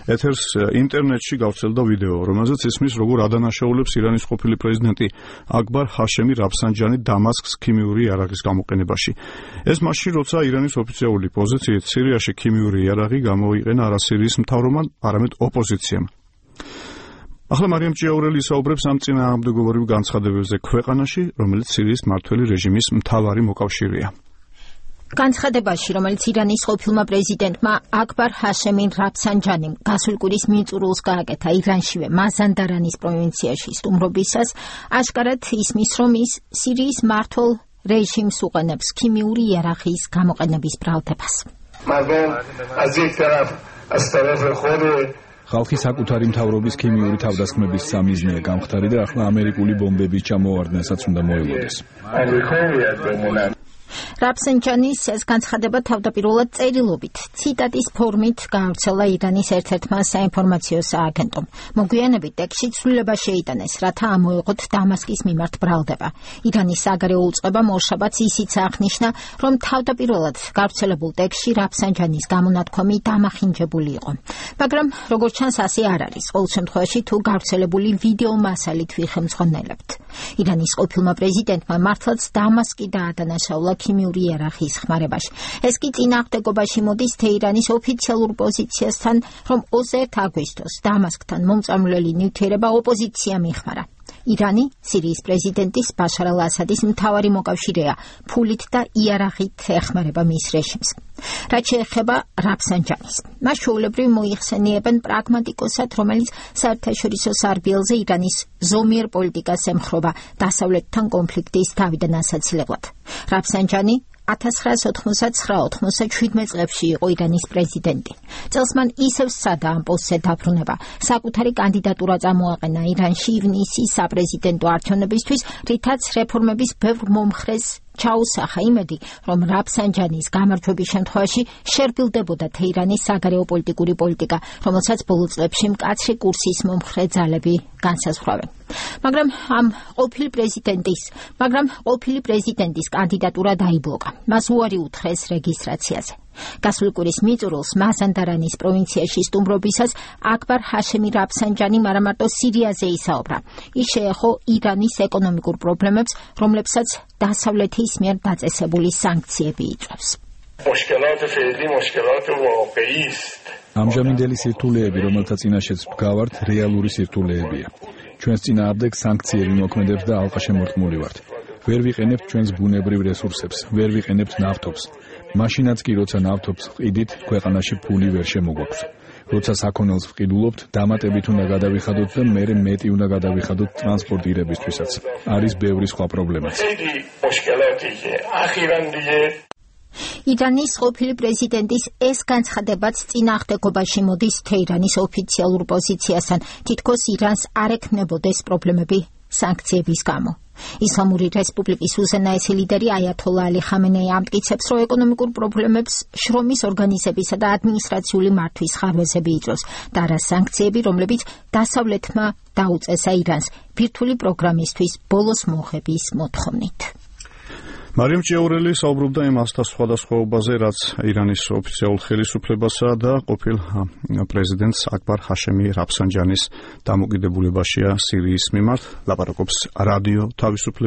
ეთერს ინტერნეტში გავრცელდა ვიდეო, რომელზეც ისმის, როგორ ადანაშაულებს ირანის ყოფილი პრეზიდენტი აკბარ ჰაშემი რაფსანჯანი დამასკს ქიმიური იარაღის გამოყენებაში. ეს მაშინ, როცა ირანის ოფიციალური პოზიციით სირიაში ქიმიური იარაღი გამოიყენა არა სირიის მთავრობამ, არამედ ოპოზიციამ. ახლა მარიამ ჭიაურელი ისაუბრებს ამ წინააღმდეგობრივ განცხადებებზე ქვეყანაში, რომელიც სირიის მმართველი რეჟიმის მთავარი მოკავშირეა. განცხადებაში, რომელიც ირანის ყოფილმა პრეზიდენტმა აკბარ ჰაშემი რაფსანჯანიმ გასული კვირის მიწურულს გააკეთა ირანშივე მაზანდარანის პროვინციაში სტუმრობისას, აშკარად ისმის, რომ ის სირიის მმართველ რეჟიმს უყენებს ქიმიური იარაღის გამოყენების ბრალდებას. ხალხი საკუთარი მთავრობის ქიმიური თავდასხმების სამიზნეა გამხდარი და ახლა ამერიკული ბომბების ჩამოვარდნასაც უნდა მოელოდეს. რაფსანჯანის ეს განცხადება თავდაპირველად წერილობით, ციტატის ფორმით გაავრცელა ირანის ერთ-ერთმა საინფორმაციო სააგენტომ. მოგვიანებით ტექსტში ცვლილება შეიტანეს, რათა ამოეღოთ დამასკის მიმართ ბრალდება. ირანის საგარეო უწყებამ ორშაბათს ისიც აღნიშნა, რომ თავდაპირველად გავრცელებულ ტექსტში რაფსანჯანის გამონათქვამი დამახინჯებული იყო. მაგრამ როგორც ჩანს, ასე არ არის. ყოველ შემთხვევაში, თუ გავრცელებული ვიდეო მასალით ვიხემძღვანელებთ. ირანის ყოფილმა პრეზიდენტმა მართლაც დამასკი დაადანაშაულა ქიმიური იარაღის ხმარებაში. ეს კი წინააღმდეგობაში მოდის თეირანის ოფიციალურ პოზიციასთან, რომ 21 აგვისტოს დამასკთან მომწამვლელი ნივთიერება ოპოზიციამ იხმარა. ირანი სირიის პრეზიდენტის ბაშარ ალ-ასადის მთავარი მოკავშირეა, ფულით და იარაღით ეხმარება მის რეჟიმს. რაც შეეხება რაფსანჯანის, მას ჩვეულებრივ მოიხსენიებენ პრაგმატიკოსად, რომელიც საერთაშორისო სარბიელზე ირანის ზომიერ პოლიტიკას ემხრობა დასავლეთთან კონფლიქტის თავიდან ასაცილებლად. რაფსანჯანი 1999-97 წლებში იყო ირანის პრეზიდენტი. წელს მან ისევ სცადა ამ პოსტზე დაბრუნება. საკუთარი კანდიდატურა წამოაყენა ირანში ივნისის საპრეზიდენტო არჩევნებისთვის, რითაც რეფორმების ბევრ მომხრეს ჩაუსახა იმედი, რომ რაფსანჯანის გამარჯვების შემთხვევაში შერბილდებოდა თეირანის საგარეო პოლიტიკური პოლიტიკა, რომელსაც ბოლო წლებში მკაცრი კურსის მომხრე ძალები განსაზღვრავენ. მაგრამ ყოფილი პრეზიდენტის კანდიდატურა დაიბლოკა. მას უარი უთხრეს რეგისტრაციაზე. გასული კვირის მიწურულს მაზანდარანის პროვინციაში სტუმრობისას აკბარ ჰაშემი რაფსანჯანი მარამარტო სირიაზე ისაუბრა. ის შეეხო ირანის ეკონომიკურ პრობლემებს, რომლებსაც დასავლეთის მიერ დაწესებული სანქციები იწვევს. ამჟამინდელი სირთულეები, რომელთა წინაშეც ვდგავართ, რეალური სირთულეებია. ჩვენს წინააღმდეგ სანქციები მოქმედებს და ალყაშემორტმული ვართ. ვერ ვიყენებთ ჩვენს ბუნებრივ რესურსებს, ვერ ვიყენებთ ნავთობს. მაშინაც კი, როცა ნავთობს ვყიდით, ქვეყანაში ფული ვერ შემოგვაქვს. როცა საქონელს ვყიდულობთ, დამატებით უნდა გადავიხადოთ და მერე მეტი უნდა გადავიხადოთ ტრანსპორტირებისთვისაც. არის ბევრი სხვა პრობლემაც. ირანის ყოფილი პრეზიდენტის ეს განცხადებაც წინააღმდეგობაში მოდის თეირანის ოფიციალურ პოზიციასთან, თითქოს ირანს არ ექნებოდეს პრობლემები სანქციების გამო. ისლამური რესპუბლიკის უზენაესი ლიდერი აიათოლა ალი ხამენეი ამტკიცებს, რომ ეკონომიკურ პრობლემებს შრომის ორგანიზებისა და ადმინისტრაციული მართვის ხარვეზები იწვევს და არა სანქციები, რომლებიც დასავლეთმა დაუწესა ირანს ბირთვული პროგრამისთვის ბოლოს მოხების მოთხოვნით. მარიამ ჭიაურელი საუბრობდა იმ სხვადასხვაობაზე, რაც ირანის ოფიციალურ ხელისუფლებასა და ყოფილ პრეზიდენტს აკბარ ჰაშემი რაფსანჯანის დამოკიდებულებაშია სირიის მიმართ. ლაპარაკობს რადიო თავისუფლება